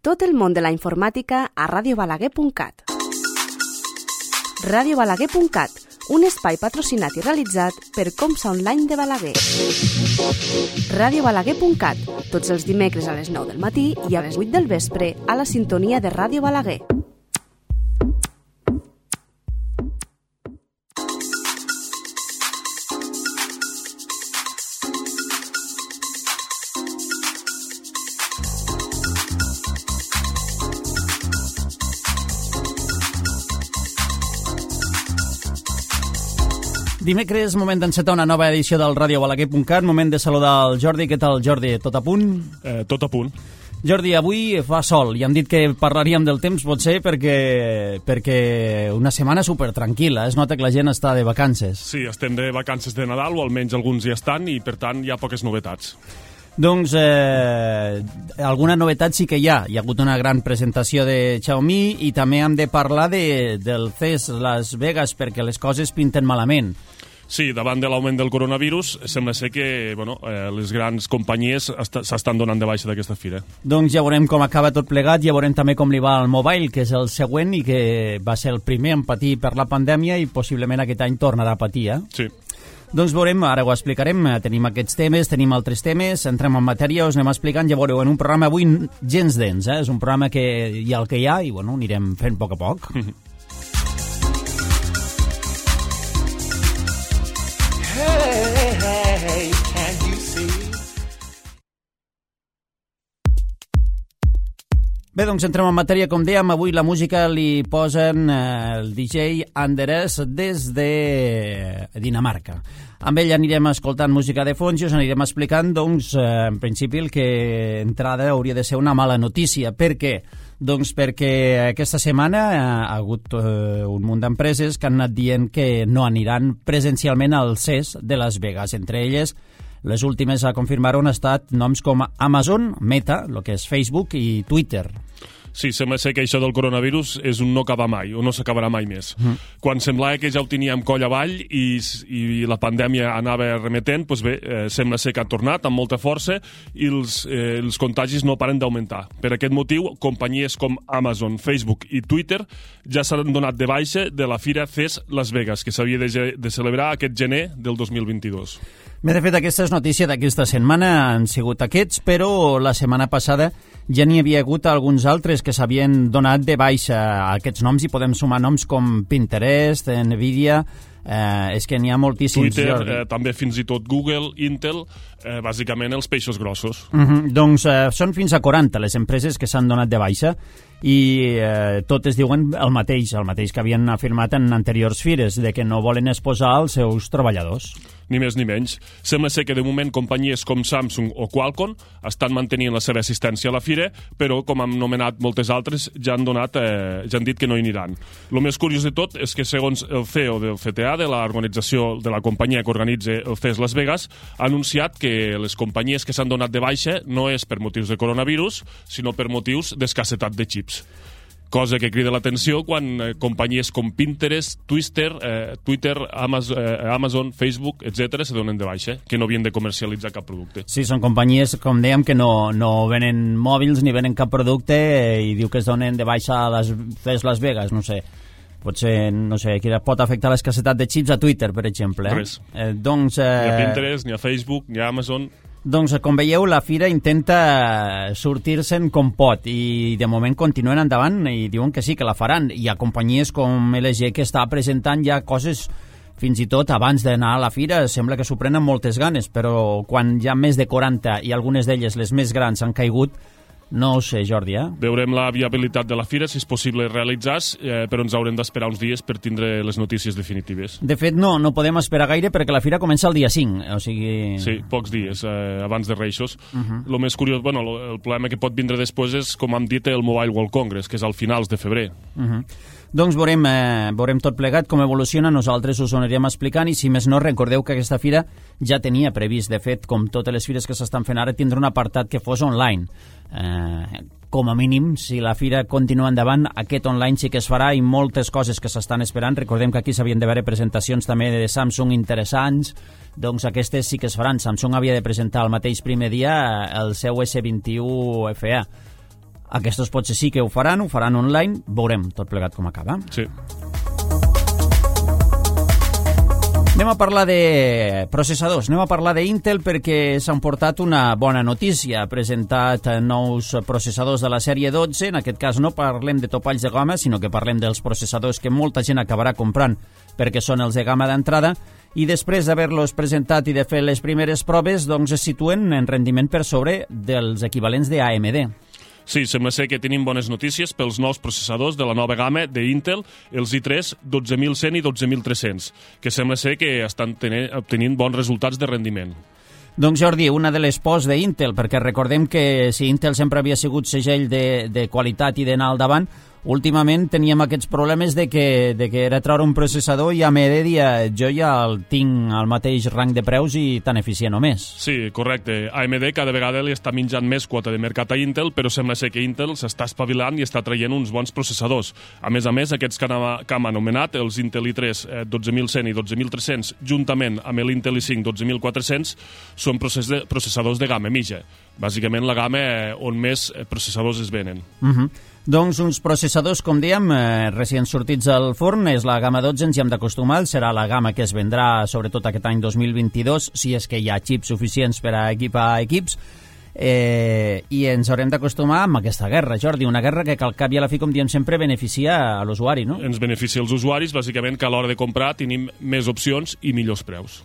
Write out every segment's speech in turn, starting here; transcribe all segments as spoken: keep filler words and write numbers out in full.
Tot el món de la informàtica a radio balaguer punt cat. radio balaguer punt cat, un espai patrocinat i realitzat per Comsa Online de Balaguer. radio balaguer punt cat, tots els dimecres a les nou del matí i a les vuit del vespre a la sintonia de Ràdio Balaguer. Dimecres, moment d'encetar una nova edició del radio balaguer punt cat, moment de saludar el Jordi. Què tal, Jordi? Tot a punt? Eh, tot a punt. Jordi, avui fa sol i hem dit que parlaríem del temps, potser perquè, perquè una setmana super tranquil·la. Es nota que la gent està de vacances. Sí, estem de vacances de Nadal, o almenys alguns hi estan, i per tant hi ha poques novetats. Doncs eh, alguna novetat sí que hi ha. Hi ha hagut una gran presentació de Xiaomi i també hem de parlar de, del C E S Las Vegas perquè les coses pinten malament. Sí, davant de l'augment del coronavirus, sembla ser que bueno, eh, les grans companyies s'estan donant de baixa d'aquesta fira. Doncs ja veurem com acaba tot plegat, ja veurem també com li va al Mobile, que és el següent i que va ser el primer en patir per la pandèmia i possiblement aquest any tornarà a patir, eh? Sí. Doncs veurem, ara ho explicarem, tenim aquests temes, tenim altres temes, entrem en matèria, us anem explicant, ja veureu, en un programa avui gens dens, eh? És un programa que hi ha el que hi ha i bueno, anirem fent a poc a poc. Hey, can you see? Bé, doncs entrem en matèria, com dèiem, avui la música li posen eh, el D J Anders des de Dinamarca. Amb ell anirem escoltant música de fons i us anirem explicant, doncs, eh, en principi el que entrada hauria de ser una mala notícia. Per què? Doncs perquè aquesta setmana ha hagut eh, un munt d'empreses que han anat dient que no aniran presencialment al C E S de Las Vegas. Entre elles, les últimes a confirmar han estat noms com Amazon, Meta, el que és Facebook, i Twitter. Sí, sembla ser que això del coronavirus és un no acabar mai, o no s'acabarà mai més. Mm. Quan semblava que ja ho teníem coll avall i, i la pandèmia anava remetent, doncs bé, eh, sembla ser que ha tornat amb molta força i els, eh, els contagis no paren d'augmentar. Per aquest motiu, companyies com Amazon, Facebook i Twitter ja s'han donat de baixa de la fira C E S Las Vegas, que s'havia de, de celebrar aquest gener del dos mil vint-i-dos. Bé, de fet, aquesta és notícia d'aquesta setmana, han sigut aquests, però la setmana passada ja n'hi havia hagut alguns altres que s'havien donat de baixa a aquests noms i podem sumar noms com Pinterest, Nvidia, eh, és que n'hi ha moltíssims. Twitter, eh, també fins i tot Google, Intel, eh, bàsicament els peixos grossos. Uh -huh. Doncs eh, són fins a quaranta les empreses que s'han donat de baixa i eh, totes diuen el mateix, el mateix que havien afirmat en anteriors fires, de que no volen exposar els seus treballadors. Ni més ni menys. Sembla ser que de moment companyies com Samsung o Qualcomm estan mantenint la seva assistència a la fira, però com hem nomenat moltes altres ja han, donat, eh, ja han dit que no hi aniran. El més curiós de tot és que segons el C E O del C T A, de l'organització de la companyia que organitza el C E S Las Vegas, ha anunciat que les companyies que s'han donat de baixa no és per motius de coronavirus, sinó per motius d'escassetat de xips. Cosa que crida l'atenció quan eh, companyies com Pinterest, Twitter, eh, Twitter Amazon, eh, Amazon, Facebook, etcètera se donen de baixa, que no havien de comercialitzar cap producte. Sí, són companyies, com dèiem, que no, no venen mòbils ni venen cap producte eh, i diu que es donen de baixa a les C E S Las Vegas, no sé. Potser, no sé, que pot afectar l'escassetat de xips a Twitter, per exemple. Eh? Res. Eh, doncs, eh... Ni a Pinterest, ni a Facebook, ni a Amazon. Doncs, com veieu, la fira intenta sortir-se'n com pot i de moment continuen endavant i diuen que sí, que la faran. Hi ha companyies com L G que està presentant ja coses fins i tot abans d'anar a la fira. Sembla que s'ho prenen moltes ganes, però quan hi ha més de quaranta i algunes d'elles, les més grans, han caigut, no ho sé, Jordi, eh? Veurem la viabilitat de la fira, si és possible realitzar-se, eh, però ens haurem d'esperar uns dies per tindre les notícies definitives. De fet, no, no podem esperar gaire perquè la fira comença el dia cinc, o sigui... Sí, pocs dies, eh, abans de Reixos. Uh -huh. El més curiós, bueno, lo, el problema que pot vindre després és, com hem dit, el Mobile World Congress, que és al finals de febrer. Uh -huh. Doncs veurem, eh, veurem tot plegat com evoluciona, nosaltres us ho anirem explicant i si més no recordeu que aquesta fira ja tenia previst, de fet, com totes les fires que s'estan fent ara, tindre un apartat que fos online. Eh, com a mínim, si la fira continua endavant, aquest online sí que es farà i moltes coses que s'estan esperant. Recordem que aquí s'havien de veure presentacions també de Samsung interessants, doncs aquestes sí que es faran. Samsung havia de presentar el mateix primer dia el seu S vint i u F A. Aquestos potser sí que ho faran, ho faran online, veurem tot plegat com acaba. Sí. Anem a parlar de processadors, anem a parlar d'Intel perquè s'han portat una bona notícia. Ha presentat nous processadors de la sèrie dotze, en aquest cas no parlem de topalls de gamma, sinó que parlem dels processadors que molta gent acabarà comprant perquè són els de gamma d'entrada, i després d'haver-los presentat i de fer les primeres proves, doncs es situen en rendiment per sobre dels equivalents de A M D. Sí, sembla ser que tenim bones notícies pels nous processadors de la nova gamma d'Intel, els i tres dotze mil cent i dotze mil tres-cents, que sembla ser que estan tenint, obtenint bons resultats de rendiment. Doncs Jordi, una de les pors d'Intel, perquè recordem que si Intel sempre havia sigut segell de, de qualitat i d'anar al davant, últimament teníem aquests problemes de que, de que era treure un processador i A M D dia jo ja el tinc al mateix rang de preus i tan eficient o més. Sí, correcte. A M D cada vegada li està menjant més quota de mercat a Intel, però sembla ser que Intel s'està espavilant i està traient uns bons processadors. A més a més, aquests que hem, que hem anomenat, els Intel i tres eh, dotze mil cent i dotze mil tres-cents, juntament amb l'Intel i cinc dotze mil quatre-cents, són process de, processadors de gamma mitja. Bàsicament la gamma eh, on més processadors es venen. Uh -huh. Doncs uns processadors, com dèiem, eh, recient sortits al forn, és la gamma dotze, ens hi hem d'acostumar, serà la gamma que es vendrà sobretot aquest any dos mil vint-i-dos, si és que hi ha xips suficients per a equipar equips, eh, i ens haurem d'acostumar amb aquesta guerra, Jordi, una guerra que al cap i a la fi, com diem sempre, beneficia a l'usuari, no? Ens beneficia els usuaris, bàsicament que a l'hora de comprar tenim més opcions i millors preus.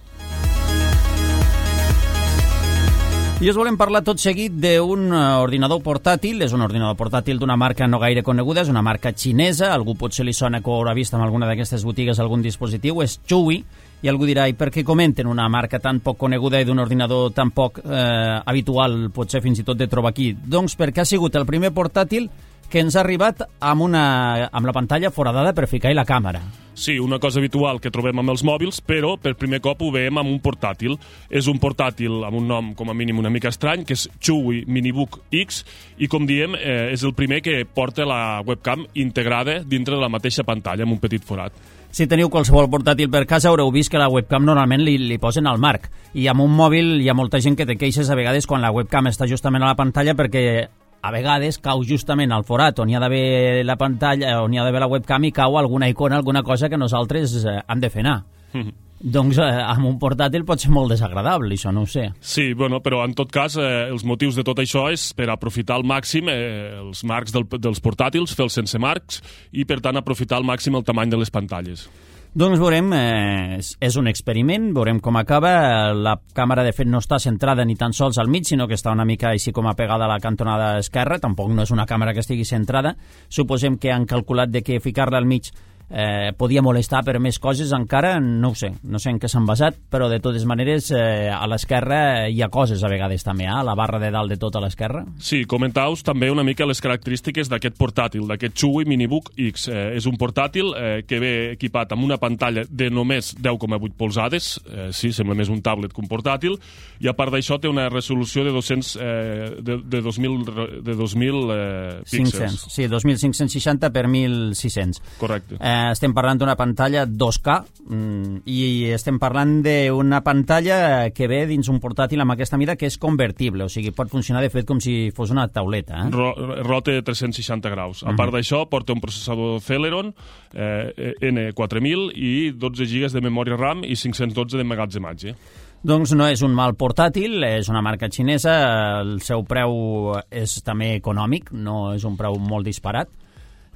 I us volem parlar tot seguit d'un ordinador portàtil. És un ordinador portàtil d'una marca no gaire coneguda, és una marca xinesa. Algú potser li sona que ho haurà vist en alguna d'aquestes botigues algun dispositiu. És Chuwi, i algú dirà, i per què comenten una marca tan poc coneguda i d'un ordinador tan poc eh, habitual, potser fins i tot de trobar aquí? Doncs perquè ha sigut el primer portàtil que ens ha arribat amb, una, amb la pantalla foradada per ficar-hi la càmera. Sí, una cosa habitual que trobem amb els mòbils, però per primer cop ho veiem amb un portàtil. És un portàtil amb un nom com a mínim una mica estrany, que és Chuwi Minibook X, i com diem, eh, és el primer que porta la webcam integrada dintre de la mateixa pantalla, amb un petit forat. Si teniu qualsevol portàtil per casa haureu vist que la webcam normalment li, li posen al marc, i amb un mòbil hi ha molta gent que té queixes a vegades quan la webcam està justament a la pantalla perquè a vegades cau justament al forat on hi ha d'haver la pantalla, on hi ha d'haver la webcam i cau alguna icona, alguna cosa que nosaltres eh, hem de fer anar. Mm-hmm. Doncs eh, amb un portàtil pot ser molt desagradable, això no ho sé. Sí, bueno, però en tot cas eh, els motius de tot això és per aprofitar al màxim eh, els marcs del, dels portàtils, fer-los sense marcs i per tant aprofitar al màxim el tamany de les pantalles. Doncs veurem, eh, és un experiment, veurem com acaba. La càmera, de fet, no està centrada ni tan sols al mig, sinó que està una mica així com apegada a la cantonada esquerra. Tampoc no és una càmera que estigui centrada. Suposem que han calculat de que ficar-la al mig eh, podia molestar per més coses, encara no ho sé, no sé en què s'han basat, però de totes maneres eh, a l'esquerra hi ha coses a vegades també, eh? A la barra de dalt de tot a l'esquerra. Sí, comentau-vos també una mica les característiques d'aquest portàtil, d'aquest Chuwi Minibook X. Eh, és un portàtil eh, que ve equipat amb una pantalla de només deu coma vuit polzades, eh, sí, sembla més un tablet que un portàtil, i a part d'això té una resolució de dos-cents, eh, de, de dos mil, de dos mil eh, píxels. cinc-cents, sí, dos mil cinc-cents seixanta per mil sis-cents. Correcte. Eh, estem parlant d'una pantalla dos K mm, i estem parlant d'una pantalla que ve dins un portàtil amb aquesta mida que és convertible, o sigui, pot funcionar de fet com si fos una tauleta. Eh? Ro rota de tres-cents seixanta graus. A part uh -huh. d'això, porta un processador Celeron eh, N quatre mil i dotze gigas de memòria RAM i cinc-cents dotze de emmagatzematge. Doncs no és un mal portàtil, és una marca xinesa, el seu preu és també econòmic, no és un preu molt disparat.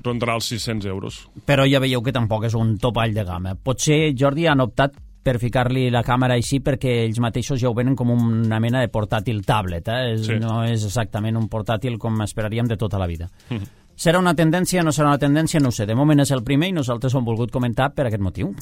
Rondarà els sis-cents euros. Però ja veieu que tampoc és un topall de gamma. Potser, Jordi, han optat per ficar-li la càmera així perquè ells mateixos ja ho venen com una mena de portàtil tablet, eh? És, sí. No és exactament un portàtil com esperaríem de tota la vida. Mm -hmm. Serà una tendència, no serà una tendència, no ho sé. De moment és el primer i nosaltres ho hem volgut comentar per aquest motiu.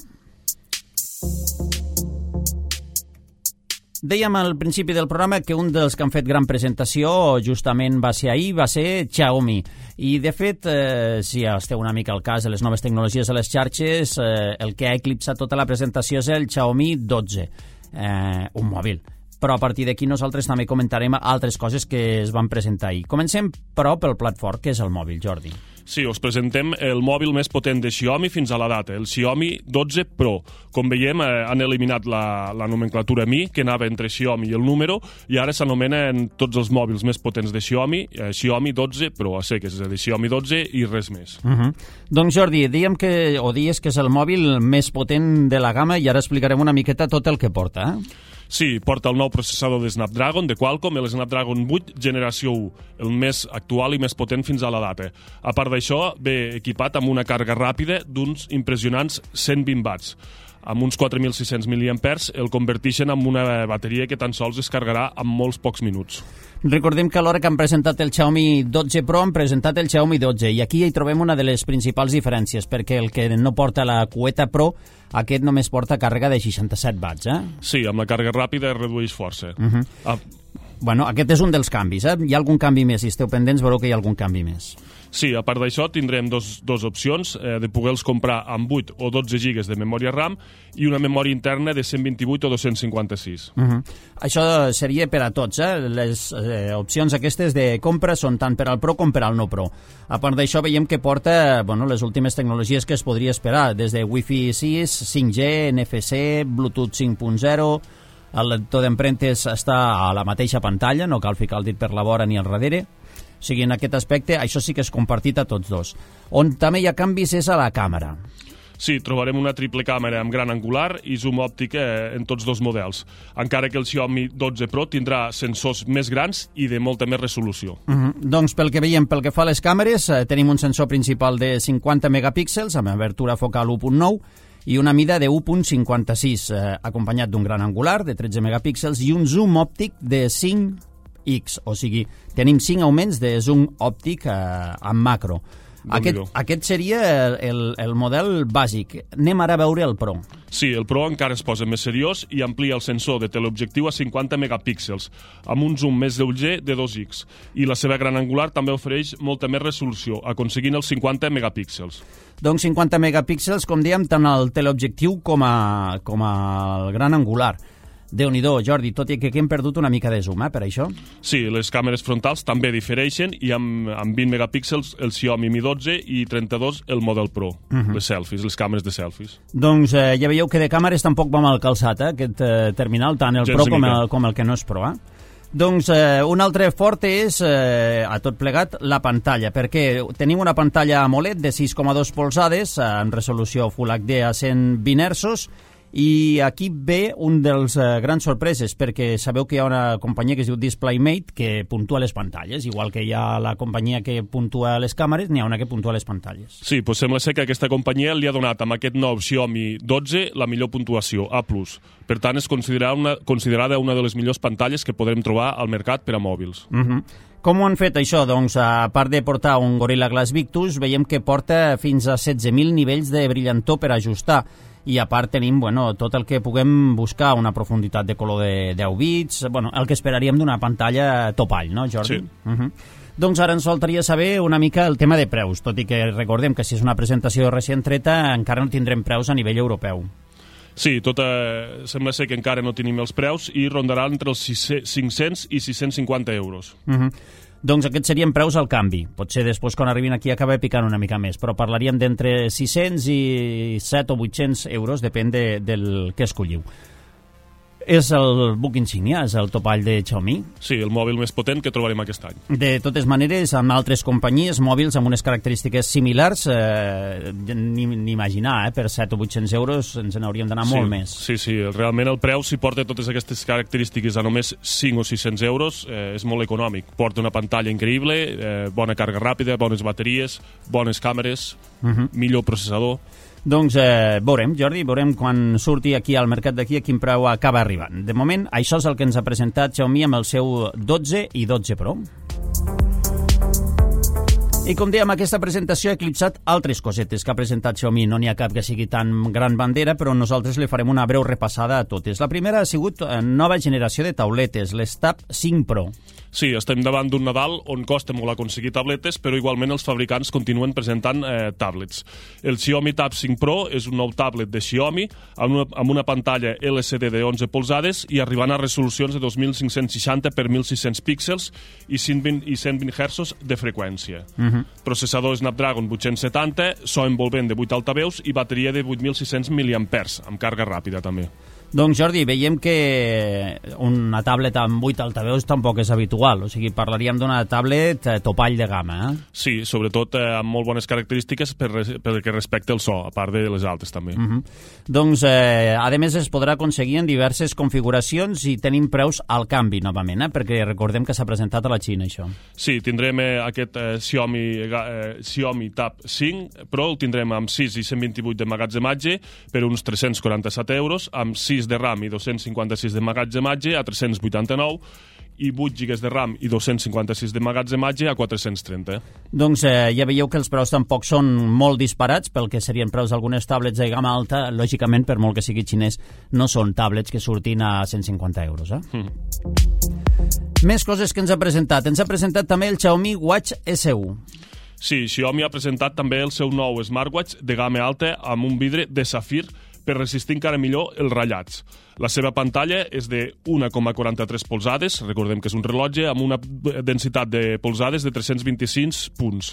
Dèiem al principi del programa que un dels que han fet gran presentació justament va ser ahir, va ser Xiaomi. I, de fet, eh, si esteu una mica al cas de les noves tecnologies a les xarxes, eh, el que ha eclipsat tota la presentació és el Xiaomi dotze, eh, un mòbil. Però a partir d'aquí nosaltres també comentarem altres coses que es van presentar ahir. Comencem, però, pel plat fort, que és el mòbil, Jordi. Sí, us presentem el mòbil més potent de Xiaomi fins a la data, el Xiaomi dotze Pro. Com veiem, eh, han eliminat la, la nomenclatura Mi, que anava entre Xiaomi i el número, i ara s'anomenen tots els mòbils més potents de Xiaomi, eh, Xiaomi dotze Pro, a seques, és a dir, Xiaomi dotze i res més. Uh -huh. Doncs Jordi, diguem que, o dies que és el mòbil més potent de la gamma i ara explicarem una miqueta tot el que porta, eh? Sí, porta el nou processador de Snapdragon de Qualcomm, el Snapdragon vuit generació u, el més actual i més potent fins a la data. A part d'això, ve equipat amb una càrrega ràpida d'uns impressionants cent vint watts. Amb uns quatre mil sis-cents miliampers el converteixen en una bateria que tan sols es carregarà en molts pocs minuts. Recordem que a l'hora que han presentat el Xiaomi dotze Pro han presentat el Xiaomi dotze i aquí hi trobem una de les principals diferències perquè el que no porta la cueta Pro, aquest només porta càrrega de seixanta-set watts, eh? Sí, amb la càrrega ràpida es redueix força. Uh -huh. ah. Bueno, aquest és un dels canvis, eh? Hi ha algun canvi més? Si esteu pendents veureu que hi ha algun canvi més. Sí, a part d'això tindrem dos, dos opcions eh, de poder-los comprar amb vuit o dotze gigas de memòria RAM i una memòria interna de cent vint-i-vuit o dos-cents cinquanta-sis. Uh -huh. Això seria per a tots, eh? Les eh, opcions aquestes de compra són tant per al Pro com per al no Pro. A part d'això veiem que porta bueno, les últimes tecnologies que es podria esperar, des de Wi-Fi sis, cinc G, N F C, Bluetooth cinc punt zero... El lector d'empremtes està a la mateixa pantalla, no cal ficar el dit per la vora ni al darrere. O sigui, en aquest aspecte, això sí que és compartit a tots dos. On també hi ha canvis és a la càmera. Sí, trobarem una triple càmera amb gran angular i zoom òptic eh, en tots dos models, encara que el Xiaomi dotze Pro tindrà sensors més grans i de molta més resolució. Uh -huh. Doncs pel que veiem, pel que fa a les càmeres, eh, tenim un sensor principal de cinquanta megapíxels amb abertura focal u punt nou i una mida de u punt cinquanta-sis, eh, acompanyat d'un gran angular de tretze megapíxels i un zoom òptic de cinc X, o sigui, tenim cinc augments de zoom òptic eh, en macro. Aquest, aquest seria el, el, el model bàsic. Anem ara a veure el Pro. Sí, el Pro encara es posa més seriós i amplia el sensor de teleobjectiu a cinquanta megapíxels, amb un zoom més lleuger de dos X. I la seva gran angular també ofereix molta més resolució, aconseguint els cinquanta megapíxels. Doncs cinquanta megapíxels, com dèiem, tant el teleobjectiu com, a, com el gran angular. Déu-n'hi-do, Jordi, tot i que aquí hem perdut una mica de zoom, eh, per això. Sí, les càmeres frontals també difereixen i amb, amb vint megapíxels el Xiaomi Mi dotze i trenta-dos el Model Pro, uh -huh. les selfies, les càmeres de selfies. Doncs eh, ja veieu que de càmeres tampoc va mal calçat, eh, aquest eh, terminal, tant el Gens Pro com el, com el que no és Pro, eh? Doncs eh, un altre fort és, eh, a tot plegat, la pantalla, perquè tenim una pantalla AMOLED de sis coma dos polzades, eh, en resolució Full H D a cent vint hertzos, i aquí ve un dels eh, grans sorpreses, perquè sabeu que hi ha una companyia que es diu DisplayMate que puntua les pantalles, igual que hi ha la companyia que puntua les càmeres, n'hi ha una que puntua les pantalles. Sí, doncs sembla ser que aquesta companyia li ha donat amb aquest nou Xiaomi dotze la millor puntuació, A plus. Per tant, és considerada una, considerada una de les millors pantalles que podrem trobar al mercat per a mòbils. Uh -huh. Com ho han fet això? Doncs, a part de portar un Gorilla Glass Victus, veiem que porta fins a setze mil nivells de brillantor per ajustar. I a part tenim bueno, tot el que puguem buscar, una profunditat de color de deu bits, bueno, el que esperaríem d'una pantalla topall, no, Jordi? Sí. Uh -huh. Doncs ara ens faltaria saber una mica el tema de preus, tot i que recordem que si és una presentació recent treta encara no tindrem preus a nivell europeu. Sí, tot, eh, sembla ser que encara no tenim els preus i rondaran entre els cinc-cents i sis-cents cinquanta euros. Uh -huh. Doncs aquests serien preus al canvi. Potser després, quan arribin aquí, acaba picant una mica més, però parlaríem d'entre sis-cents i set o vuit-cents euros, depèn de, del que escolliu. És el buc insígnia, és el topall de Xiaomi. Sí, el mòbil més potent que trobarem aquest any. De totes maneres, amb altres companyies, mòbils amb unes característiques similars, eh, ni, ni imaginar, eh, per set o vuit-cents euros ens n'hauríem d'anar sí, molt més. Sí, sí, realment el preu, si porta totes aquestes característiques a només cinc o sis-cents euros, eh, és molt econòmic. Porta una pantalla increïble, eh, bona càrrega ràpida, bones bateries, bones càmeres, uh -huh. millor processador. Doncs eh, veurem, Jordi, veurem quan surti aquí al mercat d'aquí a quin preu acaba arribant. De moment, això és el que ens ha presentat Xiaomi amb el seu dotze i dotze Pro. I com dèiem, aquesta presentació ha eclipsat altres cosetes que ha presentat Xiaomi. No n'hi ha cap que sigui tan gran bandera, però nosaltres li farem una breu repassada a totes. La primera ha sigut nova generació de tauletes, les Tab cinc Pro. Sí, estem davant d'un Nadal on costa molt aconseguir tabletes, però igualment els fabricants continuen presentant eh, tablets. El Xiaomi Tab cinc Pro és un nou tablet de Xiaomi amb una, amb una pantalla L C D de onze polzades i arribant a resolucions de dos mil cinc-cents seixanta per mil sis-cents píxels i cent vint hertzos de freqüència. Uh-huh. Uh-huh. Processador Snapdragon vuit-cents setanta, so envolvent de vuit altaveus i bateria de vuit mil sis-cents miliampers, amb càrrega ràpida també. Doncs Jordi, veiem que una tablet amb vuit altaveus tampoc és habitual, o sigui, parlaríem d'una tablet topall de gamma, eh? Sí, sobretot eh, amb molt bones característiques per, per que respecte el so, a part de les altres també. Uh-huh. Doncs, eh, a més, es podrà aconseguir en diverses configuracions i tenim preus al canvi, novament, eh? Perquè recordem que s'ha presentat a la Xina, això. Sí, tindrem eh, aquest eh, Xiaomi, eh, Xiaomi Tab cinc, però el tindrem amb sis i cent vint-i-vuit de magatzematge per uns tres-cents quaranta-set euros, amb sis de RAM i dos-cents cinquanta-sis de magatzematge a tres-cents vuitanta-nou i vuit gigas de RAM i dos-cents cinquanta-sis de magatzematge a quatre-cents trenta. Doncs eh, ja veieu que els preus tampoc són molt disparats pel que serien preus d'algunes tablets de gamma alta. Lògicament, per molt que sigui xinès, no són tablets que surtin a cent cinquanta euros. Eh? Mm. Més coses que ens ha presentat. Ens ha presentat també el Xiaomi Watch S U. Sí, Xiaomi ha presentat també el seu nou smartwatch de gamma alta amb un vidre de safir per resistir encara millor els ratllats. La seva pantalla és de un coma quaranta-tres polzades, recordem que és un rellotge, amb una densitat de polzades de tres-cents vint-i-cinc punts,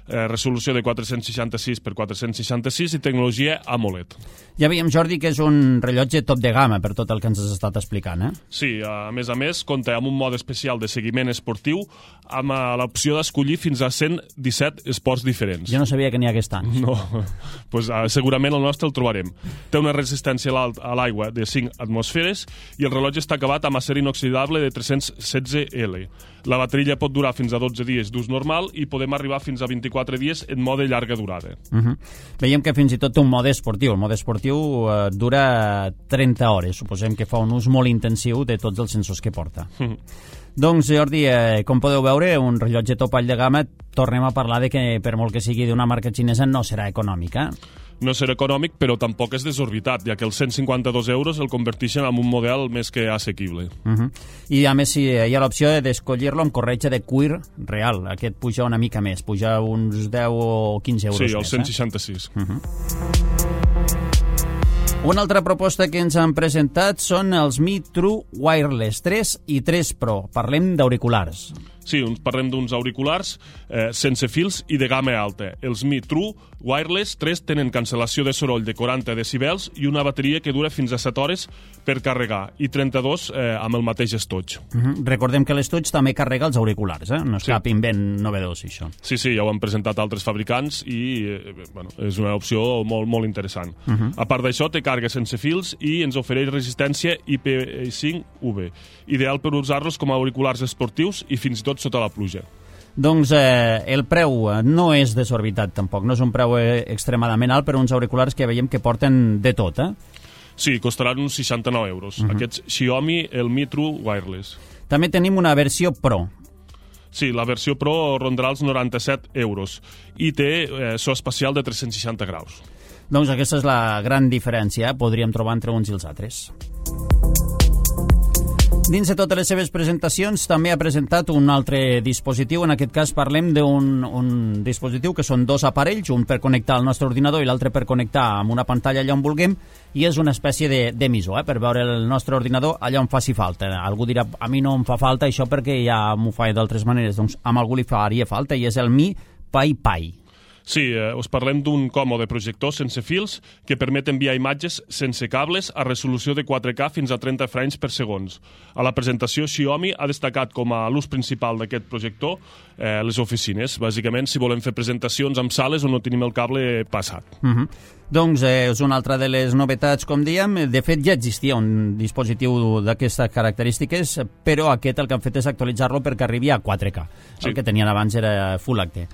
eh, resolució de quatre-cents seixanta-sis per quatre-cents seixanta-sis i tecnologia AMOLED. Ja veiem, Jordi, que és un rellotge top de gamma per tot el que ens has estat explicant, eh? Sí, a més a més, compta amb un mode especial de seguiment esportiu amb l'opció d'escollir fins a cent disset esports diferents. Jo no sabia que n'hi hagués tants. No, pues, uh, segurament el nostre el trobarem. Té una resistència a l'aigua de cinc atmosferes i el rellotge està acabat amb acer inoxidable de tres-cents setze L. La bateria pot durar fins a dotze dies d'ús normal i podem arribar fins a vint-i-quatre dies en mode llarga durada. Uh-huh. Veiem que fins i tot té un mode esportiu. El mode esportiu uh, dura trenta hores. Suposem que fa un ús molt intensiu de tots els sensors que porta. Uh-huh. Doncs, Jordi, eh, com podeu veure, un rellotge topall de gamma, tornem a parlar de que, per molt que sigui d'una marca xinesa, no serà econòmica. No serà econòmic, però tampoc és desorbitat, ja que els cent cinquanta-dos euros el converteixen en un model més que assequible. Uh-huh. I, a més, si hi ha l'opció d'escollir-lo amb corretja de cuir real. Aquest puja una mica més, puja uns deu o quinze euros sí, més. Sí, els cent seixanta-sis. Eh? Uh-huh. Una altra proposta que ens han presentat són els Mi True Wireless tres i tres Pro. Parlem d'auriculars. Sí, uns parlem d'uns auriculars eh, sense fils i de gamma alta. Els Mi True Wireless tres tenen cancel·lació de soroll de quaranta decibels i una bateria que dura fins a set hores per carregar i trenta-dos eh, amb el mateix estoig. Uh-huh. Recordem que l'estoig també carrega els auriculars, eh? No és sí. cap invent novedós, això. Sí, sí, ja ho han presentat altres fabricants i eh, bueno, és una opció molt, molt interessant. Uh-huh. A part d'això, té càrrega sense fils i ens ofereix resistència I P cinc U V, ideal per usar-los com a auriculars esportius i fins i tot sota la pluja. Doncs eh, el preu no és desorbitat tampoc, no és un preu eh, extremadament alt per uns auriculars que veiem que porten de tot, eh? Sí, costaran uns seixanta-nou euros. Uh-huh. Aquests Xiaomi, el Mi True Wireless. També tenim una versió Pro. Sí, la versió Pro rondarà els noranta-set euros i té eh, so espacial de tres-cents seixanta graus. Doncs aquesta és la gran diferència, eh? Podríem trobar entre uns i els altres. Dins de totes les seves presentacions també ha presentat un altre dispositiu. En aquest cas parlem d'un un dispositiu que són dos aparells, un per connectar al nostre ordinador i l'altre per connectar amb una pantalla allà on vulguem, i és una espècie d'emissor, eh, per veure el nostre ordinador allà on faci falta. Algú dirà, a mi no em fa falta això perquè ja m'ho fa d'altres maneres. Doncs amb algú li faria falta i és el Mi Pai Pai. Sí, eh, us parlem d'un còmode projector sense fils que permet enviar imatges sense cables a resolució de quatre K fins a trenta frames per segons. A la presentació, Xiaomi ha destacat com a l'ús principal d'aquest projector eh, les oficines. Bàsicament, si volem fer presentacions en sales on no tenim el cable passat. Uh-huh. Doncs eh, és una altra de les novetats, com dèiem. De fet, ja existia un dispositiu d'aquestes característiques, però aquest el que han fet és actualitzar-lo perquè arribi a quatre K. Sí. El que tenien abans era Full H D.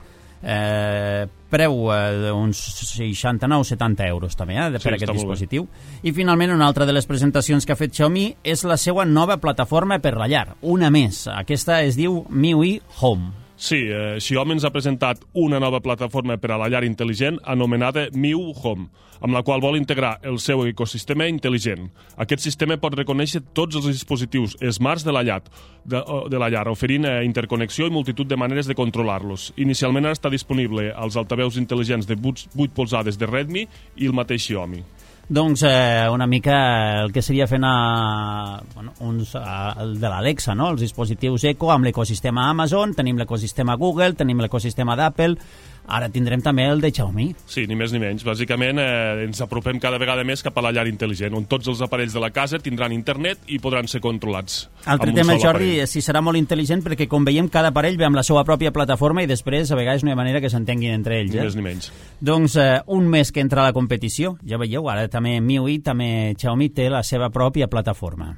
Eh, preu eh, d'uns seixanta-nou setanta euros també eh, per sí, aquest dispositiu. I finalment una altra de les presentacions que ha fet Xiaomi és la seva nova plataforma per la llar, una més. Aquesta es diu MIUI Home. Sí, eh, Xiaomi ens ha presentat una nova plataforma per a la llar intel·ligent anomenada MIUI Home, amb la qual vol integrar el seu ecosistema intel·ligent. Aquest sistema pot reconèixer tots els dispositius smarts de la llar, de, de la llar oferint eh, interconnexió i multitud de maneres de controlar-los. Inicialment està disponible als altaveus intel·ligents de vuit polzades de Redmi i el mateix Xiaomi. Doncs eh, una mica el que seria fent a, bueno, uns, a, el de l'Alexa, no? Els dispositius Echo amb l'ecosistema Amazon, tenim l'ecosistema Google, tenim l'ecosistema d'Apple, ara tindrem també el de Xiaomi. Sí, ni més ni menys. Bàsicament eh, ens apropem cada vegada més cap a la llar intel·ligent, on tots els aparells de la casa tindran internet i podran ser controlats. Altre tema, Jordi, si serà molt intel·ligent, perquè com veiem cada aparell ve amb la seva pròpia plataforma i després a vegades no hi ha manera que s'entenguin entre ells. Ni eh? més ni menys. Doncs eh, un mes que entra a la competició, ja veieu, ara també M I U I, també Xiaomi té la seva pròpia plataforma.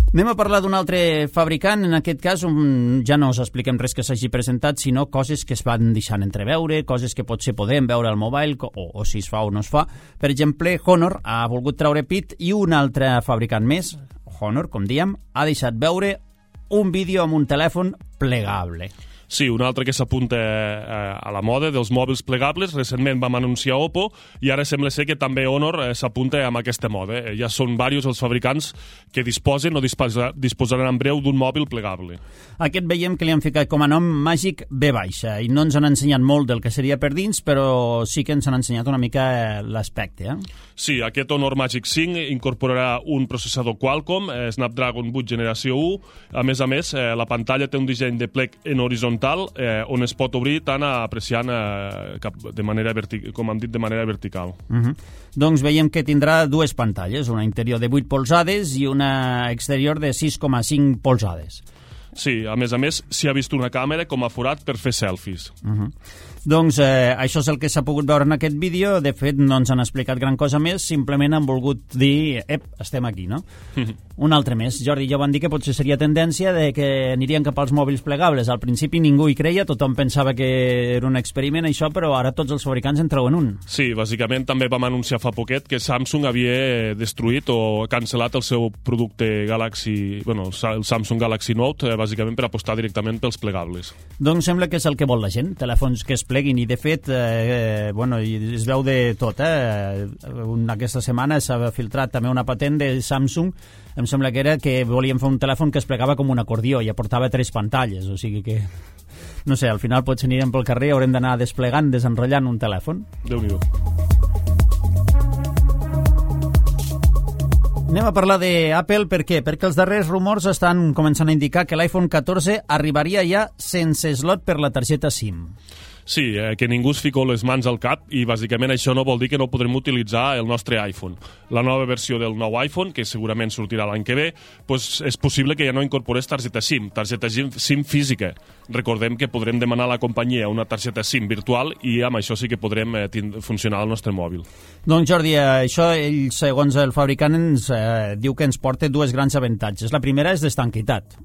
Anem a parlar d'un altre fabricant, en aquest cas um, ja no us expliquem res que s'hagi presentat, sinó coses que es van deixant entreveure, coses que potser podem veure al mobile, o, o si es fa o no es fa. Per exemple, Honor ha volgut treure pit i un altre fabricant més, Honor, com diem, ha deixat veure un vídeo amb un telèfon plegable. Sí, un altre que s'apunta eh, a la moda dels mòbils plegables. Recentment vam anunciar Oppo i ara sembla ser que també Honor eh, s'apunta amb aquesta moda. Eh, ja són diversos els fabricants que disposen o disposa, disposaran en breu d'un mòbil plegable. Aquest veiem que li han ficat com a nom Magic V baixa i no ens han ensenyat molt del que seria per dins, però sí que ens han ensenyat una mica l'aspecte. Eh? Sí, aquest Honor Magic cinc incorporarà un processador Qualcomm, eh, Snapdragon vuit generació u. A més a més, eh, la pantalla té un disseny de plec en horitzontal Eh, on es pot obrir tant apreciant eh, cap de manera vertic- com hem dit, de manera vertical. Uh-huh. Doncs veiem que tindrà dues pantalles, una interior de vuit polzades i una exterior de sis coma cinc polzades. Sí, a més a més, s'hi ha vist una càmera com a forat per fer selfies. Uh-huh. Doncs eh, això és el que s'ha pogut veure en aquest vídeo. De fet, no ens han explicat gran cosa més, simplement han volgut dir, ep, estem aquí, no? Un altre més. Jordi, ja van dir que potser seria tendència de que anirien cap als mòbils plegables. Al principi ningú hi creia, tothom pensava que era un experiment, això, però ara tots els fabricants en treuen un. Sí, bàsicament també vam anunciar fa poquet que Samsung havia destruït o cancel·lat el seu producte Galaxy, bueno, el Samsung Galaxy Note, eh, bàsicament per apostar directament pels plegables. Doncs sembla que és el que vol la gent, telèfons que es pleguin, i de fet, eh, bueno, es veu de tot, eh? Aquesta setmana s'ha filtrat també una patent de Samsung, em sembla que era que volien fer un telèfon que es plegava com un acordió i aportava tres pantalles, o sigui que, no sé, al final potser anirem pel carrer i haurem d'anar desplegant, desenrotllant un telèfon. Déu-n'hi-do. Anem a parlar d'Apple, per què? Perquè els darrers rumors estan començant a indicar que l'iPhone catorze arribaria ja sense slot per la targeta SIM. Sí, eh, que ningú es fico les mans al cap i bàsicament això no vol dir que no podrem utilitzar el nostre iPhone. La nova versió del nou iPhone, que segurament sortirà l'any que ve, doncs és possible que ja no incorporés targeta SIM, targeta SIM física. Recordem que podrem demanar a la companyia una targeta SIM virtual i amb això sí que podrem eh, funcionar el nostre mòbil. Doncs Jordi, això ell, segons el fabricant, ens eh, diu que ens porta dues grans avantatges. La primera és d'estanquitat.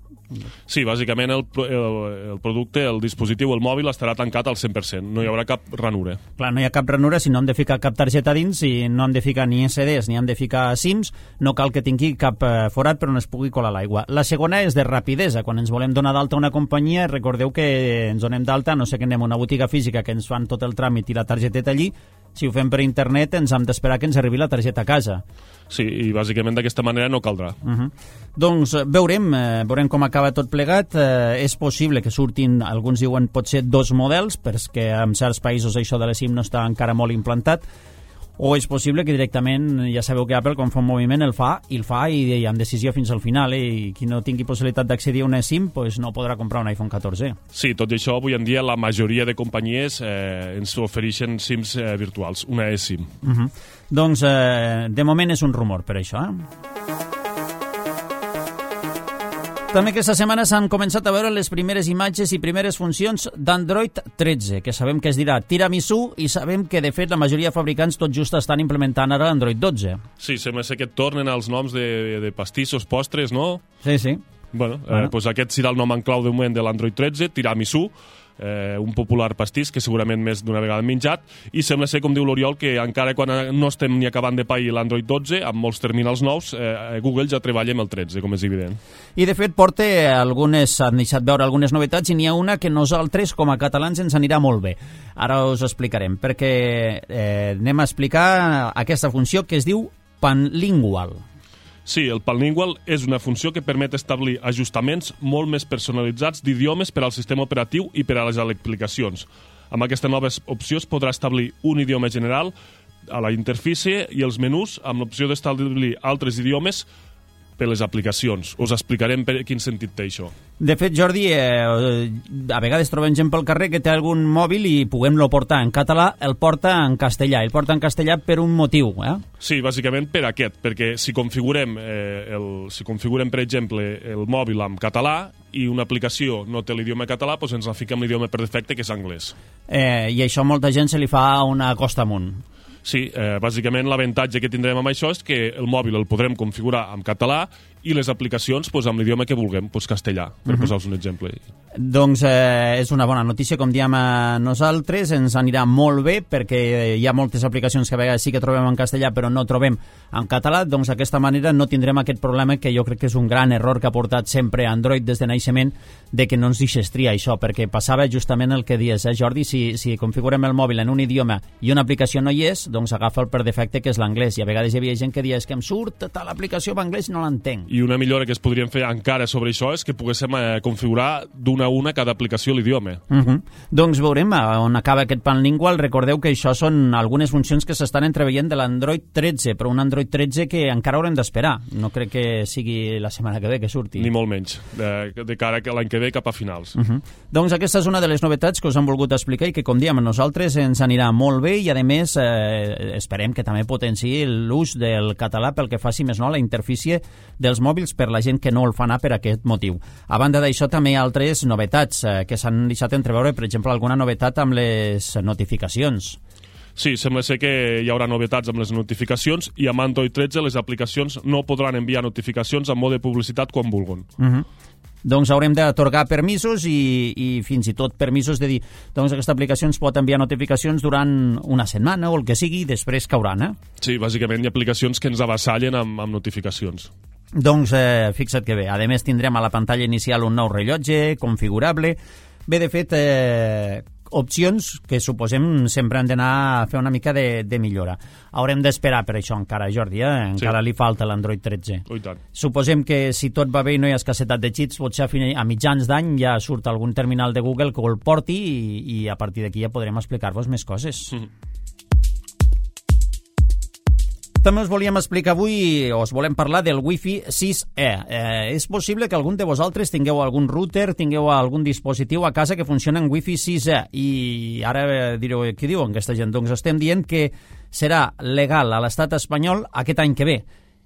Sí, bàsicament el, el, el producte, el dispositiu, el mòbil estarà tancat al cent per cent, no hi haurà cap ranura. Clar, no hi ha cap ranura, si no hem de ficar cap targeta dins, i no hem de ficar ni esse des ni hem de ficar SIMs, no cal que tingui cap eh, forat per on es pugui colar l'aigua. La segona és de rapidesa, quan ens volem donar d'alta una companyia, recordeu que ens donem d'alta, no sé que anem a una botiga física que ens fan tot el tràmit i la targeteta allí, si ho fem per internet ens hem d'esperar que ens arribi la targeta a casa. Sí, i bàsicament d'aquesta manera no caldrà. Uh-huh. Doncs veurem, eh, veurem com acaba tot plegat. Eh, és possible que surtin, alguns diuen potser dos models, perquè en certs països això de la SIM no està encara molt implantat, o és possible que directament, ja sabeu que Apple quan fa un moviment el fa, i el fa i, i amb decisió fins al final, eh? I qui no tingui possibilitat d'accedir a una SIM pues no podrà comprar un iPhone catorze. Sí, tot i això, avui en dia la majoria de companyies eh, ens ofereixen SIMs eh, virtuals, una eSIM. Uh-huh. Doncs eh, de moment és un rumor per això, eh? També aquesta setmana s'han començat a veure les primeres imatges i primeres funcions d'Android tretze, que sabem que es dirà tiramisú i sabem que, de fet, la majoria de fabricants tot just estan implementant ara l'Android dotze. Sí, sembla ser que et tornen els noms de, de pastissos, postres, no? Sí, sí. Bueno, bueno. Eh, doncs aquest serà el nom en clau de moment de l'Android tretze, tiramisú, eh, un popular pastís que segurament més d'una vegada hem menjat, i sembla ser, com diu l'Oriol, que encara quan no estem ni acabant de pair l'Android dotze, amb molts terminals nous, eh, Google ja treballa amb el tretze, com és evident. I de fet porta algunes, han deixat veure algunes novetats, i n'hi ha una que nosaltres com a catalans ens anirà molt bé. Ara us explicarem, perquè eh, anem a explicar aquesta funció que es diu Panlingual. Sí, el Panlingual és una funció que permet establir ajustaments molt més personalitzats d'idiomes per al sistema operatiu i per a les aplicacions. Amb aquesta nova opció es podrà establir un idioma general a la interfície i els menús amb l'opció d'establir altres idiomes per les aplicacions. Us explicarem per quin sentit té això. De fet, Jordi, eh, a vegades trobem gent pel carrer que té algun mòbil i puguem-lo portar en català, el porta en castellà. El porta en castellà per un motiu, eh? Sí, bàsicament per aquest, perquè si configurem, eh, el, si configurem per exemple, el mòbil en català i una aplicació no té l'idioma català, doncs ens la fica amb l'idioma per defecte, que és anglès. Eh, I això a molta gent se li fa una costa amunt. Sí, eh, bàsicament l'avantatge que tindrem amb això és que el mòbil el podrem configurar en català i les aplicacions pues, amb l'idioma que vulguem, pues, castellà, per uh -huh. posar-vos un exemple. Doncs eh, és una bona notícia, com diem a nosaltres, ens anirà molt bé perquè hi ha moltes aplicacions que a vegades sí que trobem en castellà però no trobem en català, doncs d'aquesta manera no tindrem aquest problema que jo crec que és un gran error que ha portat sempre Android des de naixement, de que no ens deixes triar això, perquè passava justament el que dius, eh, Jordi, si, si configurem el mòbil en un idioma i una aplicació no hi és, doncs agafa el per defecte que és l'anglès, i a vegades hi havia gent que deia és que em surt tal aplicació en anglès i no l'entenc. I una millora que es podríem fer encara sobre això és que poguéssim eh, configurar d'una a una cada aplicació l'idioma. Uh -huh. Doncs veurem on acaba aquest panlingual. Recordeu que això són algunes funcions que s'estan entreveient de l'Android tretze, però un Android tretze que encara haurem d'esperar. No crec que sigui la setmana que ve que surti. Ni molt menys, de, de cara a l'any que ve cap a finals. Uh -huh. Doncs aquesta és una de les novetats que us han volgut explicar i que, com diem, a nosaltres ens anirà molt bé i, a més, eh, esperem que també potenciï l'ús del català pel que faci més no a la interfície dels mòbils per la gent que no el fa anar per aquest motiu. A banda d'això, també hi ha altres novetats eh, que s'han deixat entreveure, per exemple, alguna novetat amb les notificacions. Sí, sembla ser que hi haurà novetats amb les notificacions i amb Android tretze les aplicacions no podran enviar notificacions en mode de publicitat quan vulguin. Uh -huh. Doncs haurem d'atorgar permisos i, i fins i tot permisos de dir doncs aquesta aplicació ens pot enviar notificacions durant una setmana o el que sigui i després cauran, eh? Sí, bàsicament hi ha aplicacions que ens avassallen amb, amb notificacions. Doncs eh, fixa't que bé. A més tindrem a la pantalla inicial un nou rellotge configurable. Bé, de fet, eh, opcions que suposem sempre han d'anar a fer una mica de, de millora. Haurem d'esperar per això encara, Jordi, eh? Encara sí. Li falta l'Android tretze. Oh, i tant. Suposem que si tot va bé i no hi ha escassetat de xits, potser a, fin a mitjans d'any ja surt algun terminal de Google que el porti i, i a partir d'aquí ja podrem explicar-vos més coses. Mm. També us volíem explicar avui, o us volem parlar del Wi-Fi sis E. Eh, és possible que algun de vosaltres tingueu algun router, tingueu algun dispositiu a casa que funciona en Wi-Fi sis E. I ara direu, què diuen aquesta gent? Doncs estem dient que serà legal a l'estat espanyol aquest any que ve.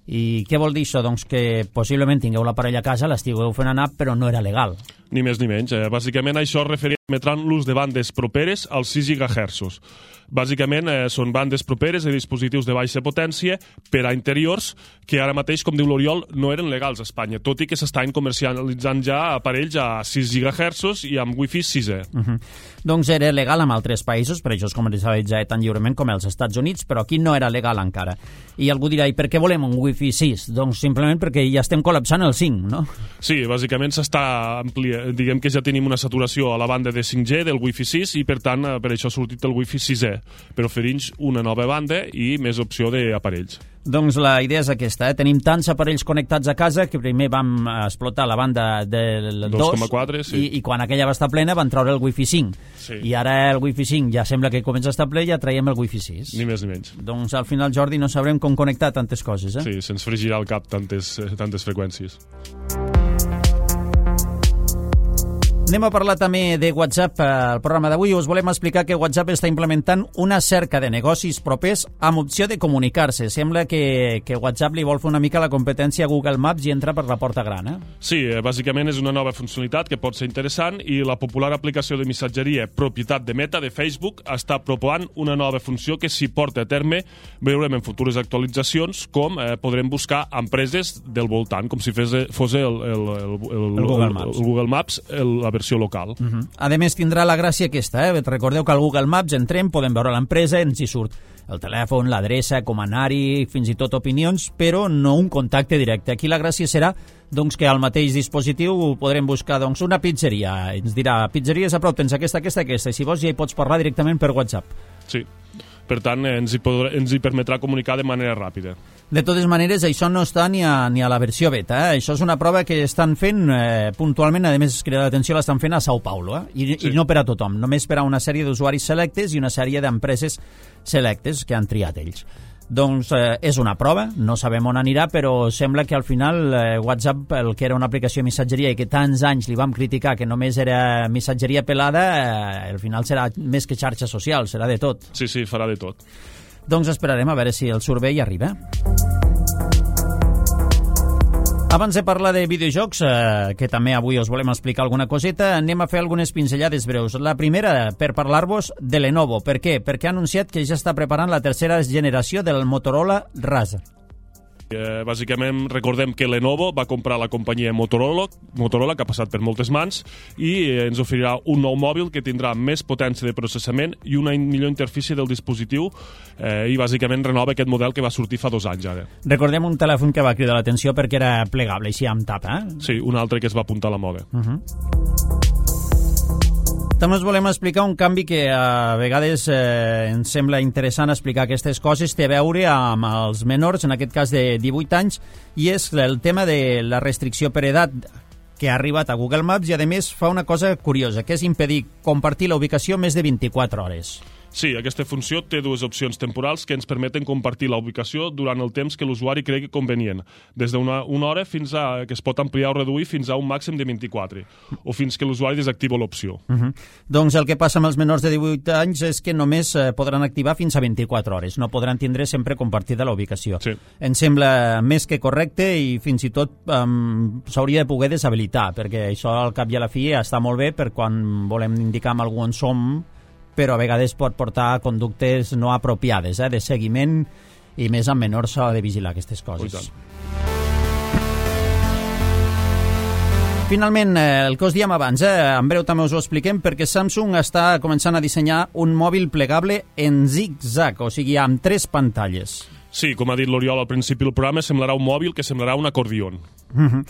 I què vol dir això? Doncs que possiblement tingueu l'aparell a casa, l'estigueu fent anar, però no era legal. Ni més ni menys. Eh? Bàsicament això es referirà l'ús de bandes properes als sis gigahertzos. Bàsicament eh, són bandes properes de dispositius de baixa potència per a interiors que ara mateix, com diu l'Oriol, no eren legals a Espanya, tot i que s'estan comercialitzant ja aparells a sis gigahertzos i amb Wi-Fi sis E. Uh -huh. Doncs era legal en altres països, per això es comercialitza tan lliurement com als Estats Units, però aquí no era legal encara. I algú dirà, i per què volem un Wi-Fi sis? Doncs simplement perquè ja estem col·lapsant el cinc, no? Sí, bàsicament s'està ampliant, diguem que ja tenim una saturació a la banda de cinc G del Wi-Fi sis i per tant per això ha sortit el Wi-Fi sis E, per oferir-nos una nova banda i més opció d'aparells. Doncs la idea és aquesta, eh? Tenim tants aparells connectats a casa que primer vam explotar la banda del dos coma quatre, sí. i, i quan aquella va estar plena van treure el Wi-Fi cinc. Sí. I ara el Wi-Fi cinc ja sembla que comença a estar ple i ja traiem el Wi-Fi sis. Ni més ni menys. Doncs al final, Jordi, no sabrem com connectar tantes coses, eh? Sí, se'ns fregirà el cap tantes, tantes freqüències. Anem a parlar també de WhatsApp. Al programa d'avui us volem explicar que WhatsApp està implementant una cerca de negocis propers amb opció de comunicar-se. Sembla que, que WhatsApp li vol fer una mica la competència a Google Maps i entra per la porta gran, eh? Sí, bàsicament és una nova funcionalitat que pot ser interessant i la popular aplicació de missatgeria propietat de Meta de Facebook està proposant una nova funció que s'hi porta a terme veurem en futures actualitzacions com eh, podrem buscar empreses del voltant, com si fes, fos el, el, el, el, el Google Maps, el, el Google Maps el, la versió local. Uh -huh. A més, tindrà la gràcia aquesta, eh? Recordeu que al Google Maps entrem, podem veure l'empresa, ens hi surt el telèfon, l'adreça, com anar-hi, fins i tot opinions, però no un contacte directe. Aquí la gràcia serà doncs, que al mateix dispositiu podrem buscar doncs, una pizzeria. Ens dirà, pizzeries a prop, tens aquesta, aquesta, aquesta, i si vols ja hi pots parlar directament per WhatsApp. Sí. per tant ens hi, podrà, ens hi permetrà comunicar de manera ràpida. De totes maneres, això no està ni a, ni a la versió beta. Eh? Això és una prova que estan fent eh, puntualment, a més, crida l'atenció, l'estan fent a Sao Paulo, eh? I, sí. I no per a tothom, només per a una sèrie d'usuaris selectes i una sèrie d'empreses selectes que han triat ells. Doncs eh, és una prova, no sabem on anirà, però sembla que al final eh, WhatsApp, el que era una aplicació de missatgeria i que tants anys li vam criticar que només era missatgeria pelada, eh, al final serà més que xarxa social, serà de tot. Sí, sí, farà de tot. Doncs esperarem a veure si el servei arriba. Abans de parlar de videojocs, eh, que també avui us volem explicar alguna coseta, anem a fer algunes pinzellades breus. La primera, per parlar-vos de Lenovo. Per què? Perquè ha anunciat que ja està preparant la tercera generació del Motorola Razr. Eh, bàsicament recordem que Lenovo va comprar la companyia Motorola, Motorola que ha passat per moltes mans, i eh, ens oferirà un nou mòbil que tindrà més potència de processament i una millor interfície del dispositiu, eh, i bàsicament renova aquest model que va sortir fa dos anys ara. Recordem un telèfon que va cridar l'atenció perquè era plegable, així amb tapa. Eh? Sí, un altre que es va apuntar a la moda. Uh-huh. També us volem explicar un canvi que a vegades eh, ens sembla interessant explicar aquestes coses, té a veure amb els menors, en aquest cas de divuit anys, i és el tema de la restricció per edat que ha arribat a Google Maps i, a més, fa una cosa curiosa, que és impedir compartir la ubicació més de vint-i-quatre hores. Sí, aquesta funció té dues opcions temporals que ens permeten compartir la ubicació durant el temps que l'usuari cregui convenient, des d'una una hora fins a que es pot ampliar o reduir fins a un màxim de vint-i-quatre, o fins que l'usuari desactiva l'opció. Uh-huh. Doncs el que passa amb els menors de divuit anys és que només eh, podran activar fins a vint-i-quatre hores, no podran tindre sempre compartida la ubicació. Sí. Em sembla més que correcte i fins i tot um, s'hauria de poder deshabilitar, perquè això al cap i a la fi està molt bé per quan volem indicar amb algú on som, però a vegades pot portar a conductes no apropiades, eh, de seguiment, i més amb menors s'ha de vigilar aquestes coses. Finalment, eh, el que us diem abans, eh, en breu també us ho expliquem, perquè Samsung està començant a dissenyar un mòbil plegable en zig-zag, o sigui, amb tres pantalles. Sí, com ha dit l'Oriol al principi del programa, semblarà un mòbil que semblarà un acordió. Uh-huh.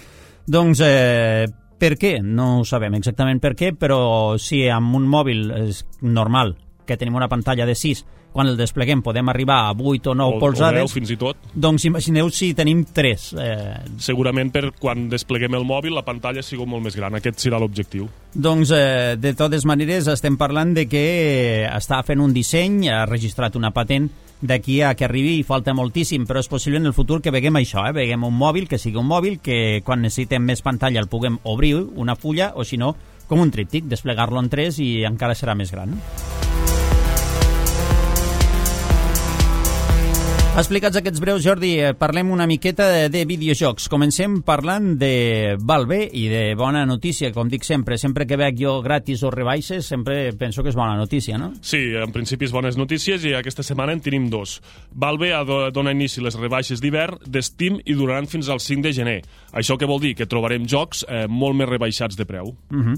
Doncs... Eh, Per què? No ho sabem exactament per què, però si amb un mòbil és normal, que tenim una pantalla de sis, quan el despleguem podem arribar a vuit o nou polzades... O deu, fins i tot. Doncs imagineu si tenim tres. Eh... Segurament per quan despleguem el mòbil la pantalla sigui molt més gran. Aquest serà l'objectiu. Doncs, eh, de totes maneres, estem parlant de que està fent un disseny, ha registrat una patent d'aquí a que arribi i falta moltíssim, però és possible en el futur que veguem això, eh? Veguem un mòbil, que sigui un mòbil, que quan necessitem més pantalla el puguem obrir una fulla, o si no, com un tríptic, desplegar-lo en tres i encara serà més gran. Explicats aquests breus, Jordi, parlem una miqueta de, de videojocs. Comencem parlant de Valve i de bona notícia, com dic sempre. Sempre que veig jo gratis o rebaixes, sempre penso que és bona notícia, no? Sí, en principi és bones notícies i aquesta setmana en tenim dos. Valve dona inici les rebaixes d'hivern de Steam i duraran fins al cinc de gener. Això què vol dir? Que trobarem jocs eh, molt més rebaixats de preu. Uh-huh.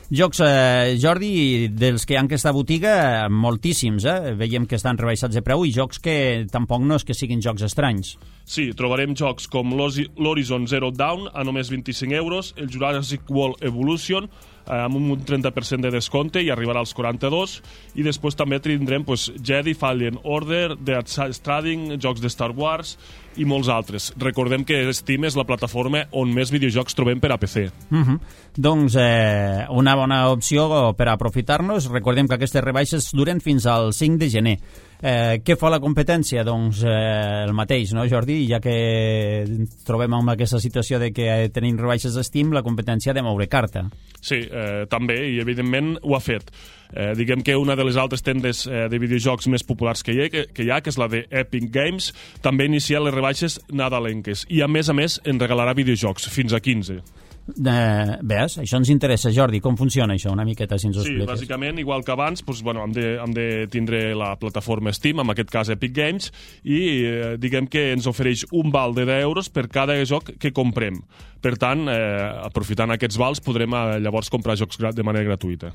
Jocs, eh, Jordi, dels que hi ha en aquesta botiga, moltíssims, eh? Veiem que estan rebaixats de preu i jocs que tampoc no és que siguin jocs estranys. Sí, trobarem jocs com l'Horizon Zero Dawn a només vint-i-cinc euros, el Jurassic World Evolution eh, amb un trenta per cent de descompte i arribarà als quaranta-dos, i després també tindrem pues, Jedi, Fallen Order, Dead Stranding, jocs de Star Wars i molts altres. Recordem que Steam és la plataforma on més videojocs trobem per a P C. Uh-huh. Doncs eh, una bona opció per aprofitar-nos. Recordem que aquestes rebaixes duren fins al cinc de gener. Eh, què fa la competència? Doncs eh, el mateix, no, Jordi? Ja que trobem en aquesta situació de que tenim rebaixes a Steam, la competència ha de moure carta. Sí, eh, també, i evidentment ho ha fet. Eh, diguem que una de les altres tendes eh, de videojocs més populars que hi, ha, que, que hi ha, que és la de Epic Games, també inicia les rebaixes nadalenques i a més a més en regalarà videojocs fins a quinze. Eh, ves, això ens interessa, Jordi. Com funciona això? Una miqueta, si ens ho sí, expliques. Sí, bàsicament, igual que abans, doncs, bueno, hem, de, hem de tindre la plataforma Steam, en aquest cas Epic Games, i eh, diguem que ens ofereix un val de deu euros per cada joc que comprem. Per tant, eh, aprofitant aquests vals, podrem eh, llavors comprar jocs de manera gratuïta.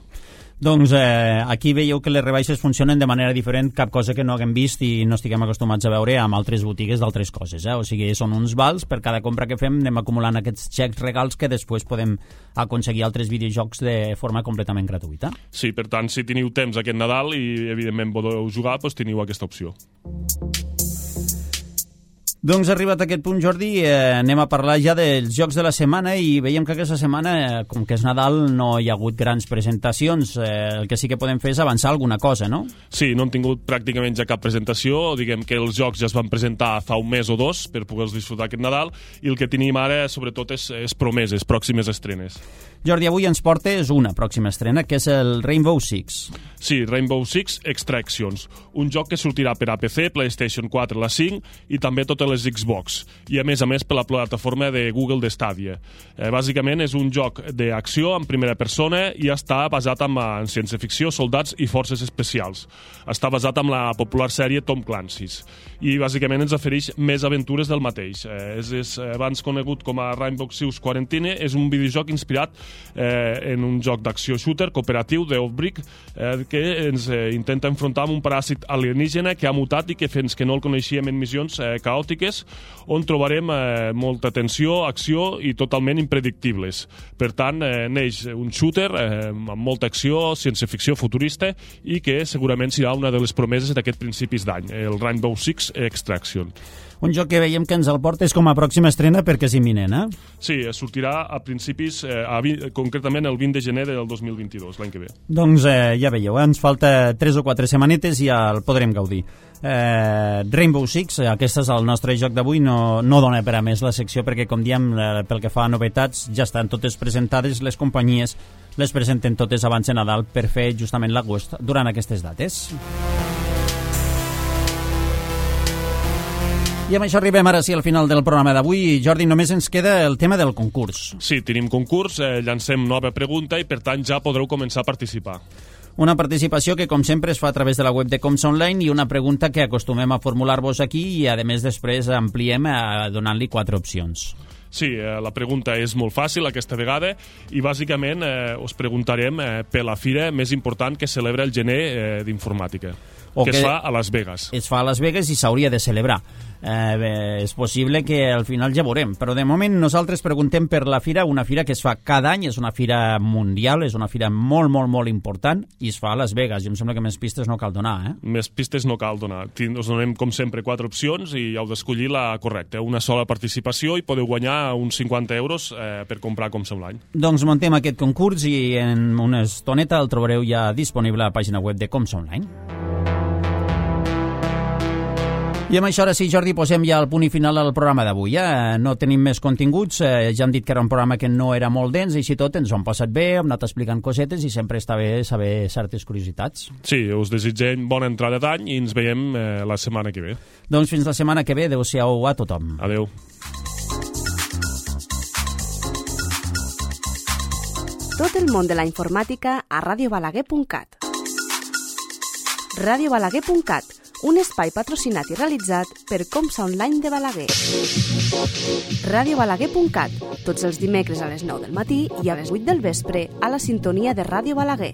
Doncs eh, aquí veieu que les rebaixes funcionen de manera diferent, cap cosa que no haguem vist i no estiguem acostumats a veure amb altres botigues d'altres coses. Eh? O sigui, són uns vals, per cada compra que fem anem acumulant aquests xecs regals que després podem aconseguir altres videojocs de forma completament gratuïta. Sí, per tant, si teniu temps aquest Nadal i evidentment podeu jugar, doncs teniu aquesta opció. Doncs arribat a aquest punt, Jordi, eh, anem a parlar ja dels jocs de la setmana i veiem que aquesta setmana, eh, com que és Nadal, no hi ha hagut grans presentacions. Eh, el que sí que podem fer és avançar alguna cosa, no? Sí, no han tingut pràcticament ja cap presentació. Diguem que els jocs ja es van presentar fa un mes o dos per poder-los disfrutar aquest Nadal i el que tenim ara, sobretot, és, és promeses, pròximes estrenes. Jordi, avui ens portes una pròxima estrena, que és el Rainbow Six. Sí, Rainbow Six Extractions, un joc que sortirà per a P C, PlayStation quatre, la cinc i també totes les Xbox, i a més a més per la plataforma de Google de Stadia. Eh, bàsicament és un joc d'acció en primera persona i està basat en, en ciència-ficció, soldats i forces especials. Està basat en la popular sèrie Tom Clancy's i bàsicament ens ofereix més aventures del mateix. Eh, és, és abans conegut com a Rainbow Six Quarantine, és un videojoc inspirat eh, en un joc d'acció shooter cooperatiu d'Outbreak eh, que ens eh, intenta enfrontar amb un paràsit alienígena que ha mutat i que fins que no el coneixíem en missions eh, caòtiques, on trobarem eh, molta tensió, acció i totalment impredictibles. Per tant, eh, neix un shooter eh, amb molta acció, ciència-ficció futurista i que segurament serà una de les promeses d'aquest principis d'any, el Rainbow Six Extraction. Un joc que veiem que ens el portes com a pròxima estrena perquè és imminent, eh? Sí, sortirà a principis, eh, a vint, concretament el vint de gener del dos mil vint-i-dos, l'any que ve. Doncs eh, ja veieu, eh? Ens falta tres o quatre setmanetes i ja el podrem gaudir. Eh, Rainbow Six, aquest és el nostre joc d'avui, no, no dona per a més la secció perquè, com diem, eh, pel que fa a novetats, ja estan totes presentades, les companyies les presenten totes abans de Nadal per fer justament l'agost durant aquestes dates. I amb això arribem ara sí al final del programa d'avui. Jordi, només ens queda el tema del concurs. Sí, tenim concurs, eh, llancem nova pregunta i per tant ja podreu començar a participar. Una participació que, com sempre, es fa a través de la web de Coms Online i una pregunta que acostumem a formular-vos aquí i, a més, després ampliem donant-li quatre opcions. Sí, eh, la pregunta és molt fàcil aquesta vegada i bàsicament eh, us preguntarem eh, per la fira més important que celebra el gener eh, d'informàtica, que, que es fa a Las Vegas. Es fa a Las Vegas i s'hauria de celebrar. Eh, bé, és possible que al final ja veurem, però de moment nosaltres preguntem per la fira, una fira que es fa cada any, és una fira mundial, és una fira molt, molt, molt important i es fa a Las Vegas, i em sembla que més pistes no cal donar, eh? Més pistes no cal donar. Us donem, com sempre, quatre opcions i heu d'escollir la correcta. Una sola participació i podeu guanyar uns cinquanta euros eh, per comprar com som l'any. Doncs muntem aquest concurs i en una estoneta el trobareu ja disponible a la pàgina web de Coms Online. I amb això, ara sí, Jordi, posem ja el punt i final al programa d'avui. Eh? No tenim més continguts, eh, ja hem dit que era un programa que no era molt dens, i així tot ens ho hem passat bé, hem anat explicant cosetes i sempre està bé saber certes curiositats. Sí, us desitgem bona entrada d'any i ens veiem eh, la setmana que ve. Doncs fins la setmana que ve, adeu-siau a tothom. Adeu. Tot el món de la informàtica a ràdio balaguer punt cat. ràdio balaguer punt cat, un espai patrocinat i realitzat per Comsa Online de Balaguer. ràdio balaguer punt cat, tots els dimecres a les nou del matí i a les vuit del vespre a la sintonia de Ràdio Balaguer.